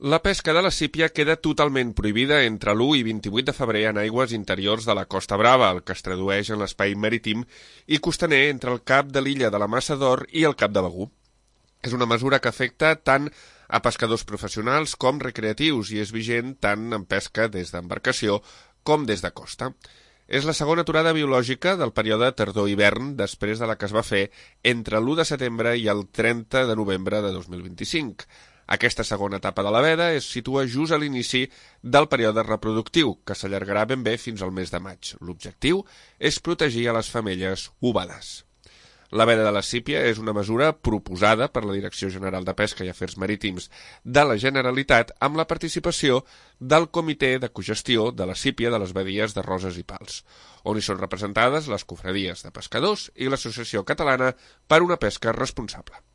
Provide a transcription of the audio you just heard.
La pesca de la sípia queda totalment prohibida entre l'1 i 28 de febrer en aigües interiors de la Costa Brava, el que es tradueix en l'espai marítim i costaner entre el cap de l'illa de la Massa d'Or i el cap de Begur. És una mesura que afecta tant a pescadors professionals com recreatius i és vigent tant en pesca des d'embarcació com des de costa. És la segona aturada biològica del període tardor-hivern després de la que es va fer entre l'1 de setembre i el 30 de novembre de 2025. Aquesta segona etapa de la veda es situa just a l'inici del període reproductiu, que s'allargarà ben bé fins al mes de maig. L'objectiu és protegir a les femelles ovades. La veda de la sípia és una mesura proposada per la Direcció General de Pesca i Afers Marítims de la Generalitat amb la participació del Comitè de Cogestió de la sípia de les badies de Roses i Pals, on hi són representades les cofradies de pescadors i l'Associació Catalana per una Pesca Responsable.